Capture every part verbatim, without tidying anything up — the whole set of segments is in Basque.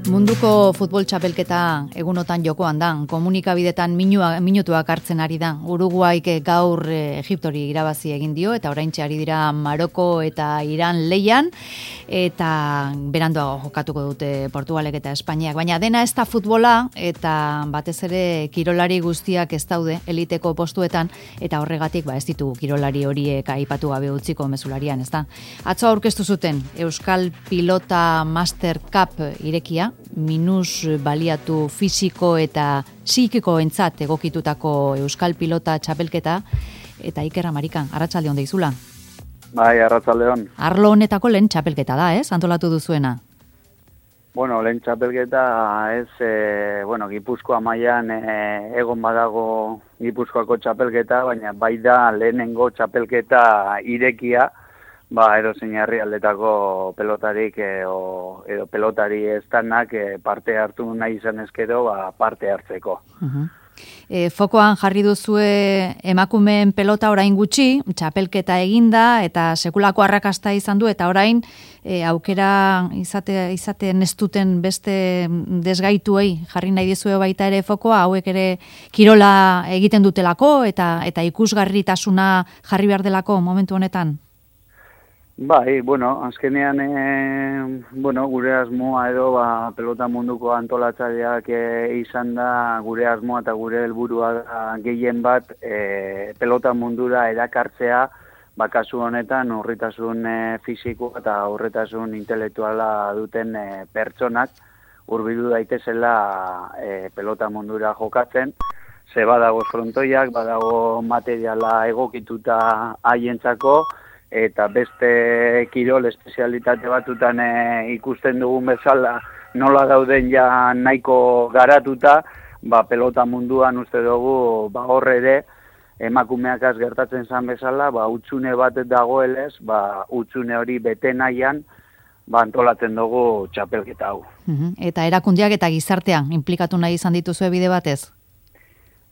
Munduko futbol txapelketa egunotan jokoan da, komunikabidetan minua, minutuak hartzen ari da. Uruguaik gaur Egiptori irabazi egin dio, eta oraintxe ari dira Maroko eta Iran leian, eta beranduago jokatuko dute Portugalek eta Espainiak. Baina dena ez da futbola, eta batez ere kirolari guztiak ez daude eliteko postuetan, eta horregatik ba, ez ditugu kirolari horiek aipatu gabe utziko mezularian, ez da. Atzo aurkeztu zuten Euskal Pilota Master Cup irekia, minus baliatu fisiko eta psikiko entzat egokitutako Euskal Pilota txapelketa, eta Iker Amarikan, arratsaldeon deizula. Bai, arratsaldeon. Arlo honetako lehen txapelketa da, ez? Antolatu duzuena. Bueno, lehen txapelketa ez, e, bueno, Gipuzkoa mailan e, egon badago Gipuzkoako txapelketa, baina bai da lehenengo txapelketa irekia, ba, edozein herrialdetako pelotarik e, o, edo pelotari estanak e, parte hartu nahi izan ezkero, ba, parte hartzeko. Uh-huh. E, fokoan jarri duzue emakumeen pelota orain gutxi, txapelketa eginda eta sekulako arrakasta izan du, eta orain e, aukera izate, izaten ez duten beste desgaituei jarri nahi dizue baita ere fokoa, hauek ere kirola egiten dutelako eta, eta ikusgarritasuna jarri behar delako momentu honetan? Bai, bueno, azkenean e, bueno, gure asmoa edo ba, pelota munduko antolatzaileak e, izan da gure asmoa eta gure helburua da gehien bat e, pelota mundura erakartzea, ba, kasu honetan urritasun e, fisiko eta urritasun intelektuala duten e, pertsonak hurbildu daitezela e, pelota mundura jokatzen. Ze badago frontoiak, badago materiala egokituta haientzako, eta beste kirol espezialitate batutan e, ikusten dugun bezala nola dauden ja nahiko garatuta, ba, pelota munduan uste dugu ba, horre ere emakumeak az gertatzen zan bezala, ba, utzune bat dagoelez, ba, utzune hori bete nahian, ba, antolatzen dugu txapelketa hau. Uh-huh. Eta erakundeak eta gizartean implikatu nahi izan dituzue bide batez?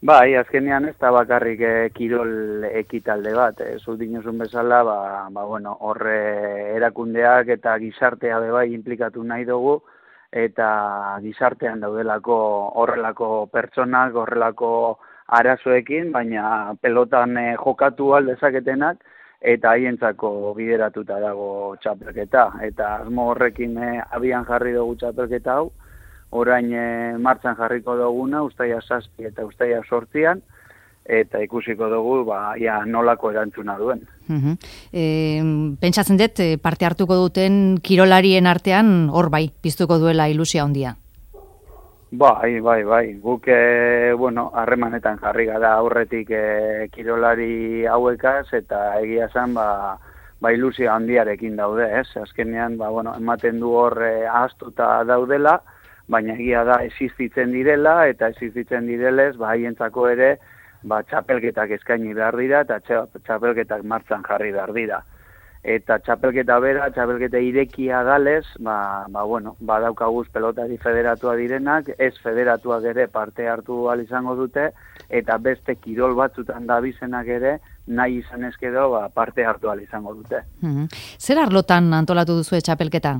Bai, azkenean ez da bakarrik e, kirol ekitalde bat. E, Zut dinozun bezala, ba, ba, bueno, horre erakundeak eta gizartea bebai implikatu nahi dugu, eta gizartean daudelako horrelako pertsonak, horrelako arazoekin, baina pelotan e, jokatu aldezaketenak, eta haientzako bideratuta dago txapelketa. Eta asmo horrekin e, abian jarri dugu txapelketa hau, orain e, martxan jarriko duguna, ustaia zazpi eta ustaia sortzian, eta ikusiko dugu ba, ja, nolako erantzuna duen. Uh-huh. E, pentsatzen dut, parte hartuko duten kirolarien artean, hor bai, piztuko duela ilusia handia. Bai, bai, bai. Guk, e, bueno, harremanetan jarri gara aurretik e, kirolari hauekaz, eta egia zen, ba, ba ilusia handiarekin daude, ez? Azkenean, ba, bueno, ematen du hor e, ahaztuta daudela, baina egia da existitzen direla, eta existitzen direlez, ba, haientzako ere, ba, txapelketak eskaini behar dira, eta txapelketak martxan jarri behar dira. Eta txapelketa bera, txapelketa irekia dalez, ba, ba, bueno, badaukaguz pelotari federatua direnak, ez federatuak ere parte hartu ahal izango dute, eta beste kirol batzutan dabizenak ere, nahi izan ezkedo, ba, parte hartu ahal izango dute. Mm-hmm. Zer arlotan antolatu duzu txapelketa?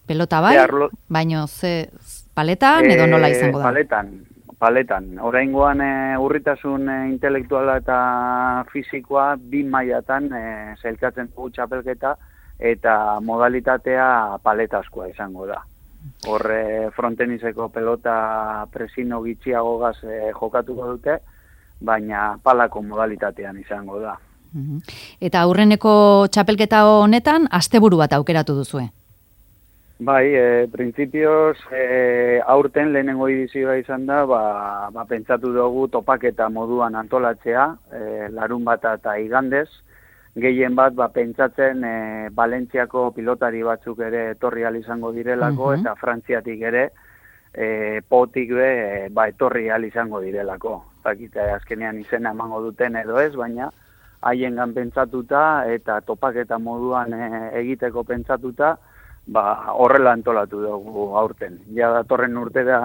Pelota bai, arlo... baino ze paletan edo nola izango da? Paletan, paletan. Oraingoan e, urritasun e, intelektuala eta fisikoa bi mailatan e, zelkatzen dugu txapelketa, eta modalitatea paletazkoa izango da. Horre frontenizeko pelota presino gitxiagogaz e, jokatuko dute, baina palako modalitatean izango da. Uh-huh. Eta aurreneko txapelketa honetan asteburu bat aukeratu duzue? Bai, e, printzipioz, e, aurten lehenengo edizioa izan da, ba, ba, pentsatu dugu topaketa moduan antolatzea, e, larun bat eta igandez, gehien bat, ba, pentsatzen e, Valentziako pilotari batzuk ere etorri ahal izango direlako, uh-huh. eta Frantziatik ere e, potik be, e, ba, etorri ahal izango direlako. Zakite, azkenean izena emango duten edo ez, baina haiengan pentsatuta eta topaketa moduan e, egiteko pentsatuta, ba, horrela antolatu dugu aurten. Ja datorren urtera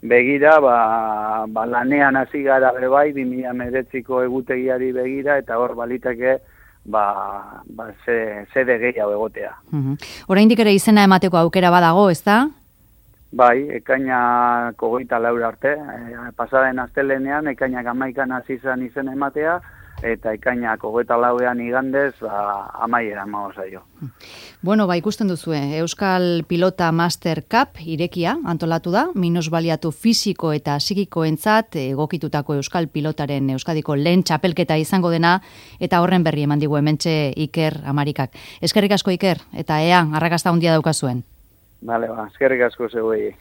begira, ba, ba, lanean hasi gara bebai, bi mila hemeretziko egutegiari begira, eta hor baliteke ba, ba ze, zede gehiago egotea. Uh-huh. Oraindik ere izena emateko aukera badago, ez da? Bai, ekainak hogeita lau arte, e, pasaren astelenean ekainak hamaikan hasi izan izen ematea, eta ekainak hogeita lauean igandez, ba, amaiera emango zaio. Bueno, ba, ikusten duzue, Euskal Pilota Master Cup irekia antolatu da, minusbaliatu fisiko eta psikikoentzat egokitutako Euskal Pilotaren Euskadiko lehen txapelketa izango dena, eta horren berri eman digu hementxe Iker Amarikak. Eskerrik asko, Iker, eta ea, arrakasta handia daukazuen. Bale, ba, eskerrik asko zeuei.